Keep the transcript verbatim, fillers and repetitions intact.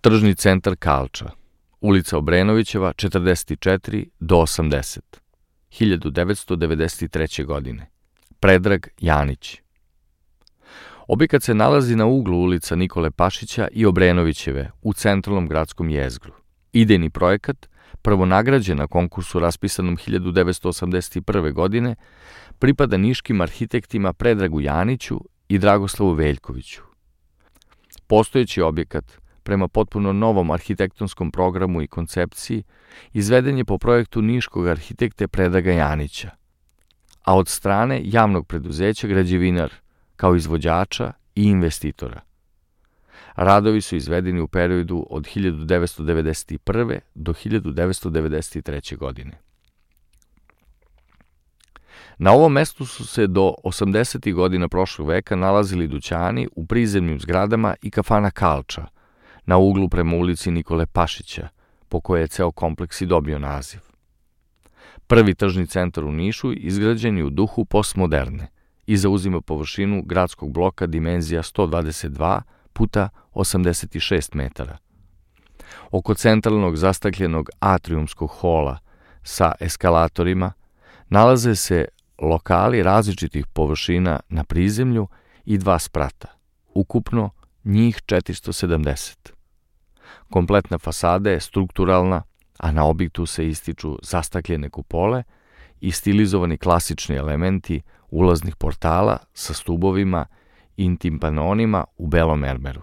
Tržni centar Kalča, ulica Obrenovićeva, četrdeset četiri do osamdeset, hiljadu devetsto devedeset treće. godine. Predrag Janić. Objekat se nalazi na uglu ulica Nikole Pašića i Obrenovićeve u centralnom gradskom jezgru. Idejni projekat, prvonagrađen na konkursu raspisanom hiljadu devetsto osamdeset prve. godine, pripada niškim arhitektima Predragu Janiću i Dragoslavu Veljkoviću. Postojeći objekat, prema potpuno novom arhitektonskom programu i koncepciji, izveden je po projektu niškog arhitekte Predraga Janića, a od strane javnog preduzeća Građevinar, kao izvođača i investitora. Radovi su izvedeni u periodu od hiljadu devetsto devedeset prve. do hiljadu devetsto devedeset treće. godine. Na ovom mestu su se do osamdesetih godina prošlog veka nalazili dućani u prizemnim zgradama i kafana Kalča, na uglu prema ulici Nikole Pašića, po kojoj je ceo kompleks i dobio naziv. Prvi tržni centar u Nišu izgrađen je u duhu postmoderne i zauzima površinu gradskog bloka dimenzija sto dvadeset dva puta osamdeset šest metara. Oko centralnog zastakljenog atrijumskog hola sa eskalatorima nalaze se lokali različitih površina na prizemlju i dva sprata, ukupno njih četiristo sedamdeset. Kompletna fasada je strukturalna, a na objektu se ističu zastakljene kupole i stilizovani klasični elementi ulaznih portala sa stubovima i timpanonima u belom mermeru.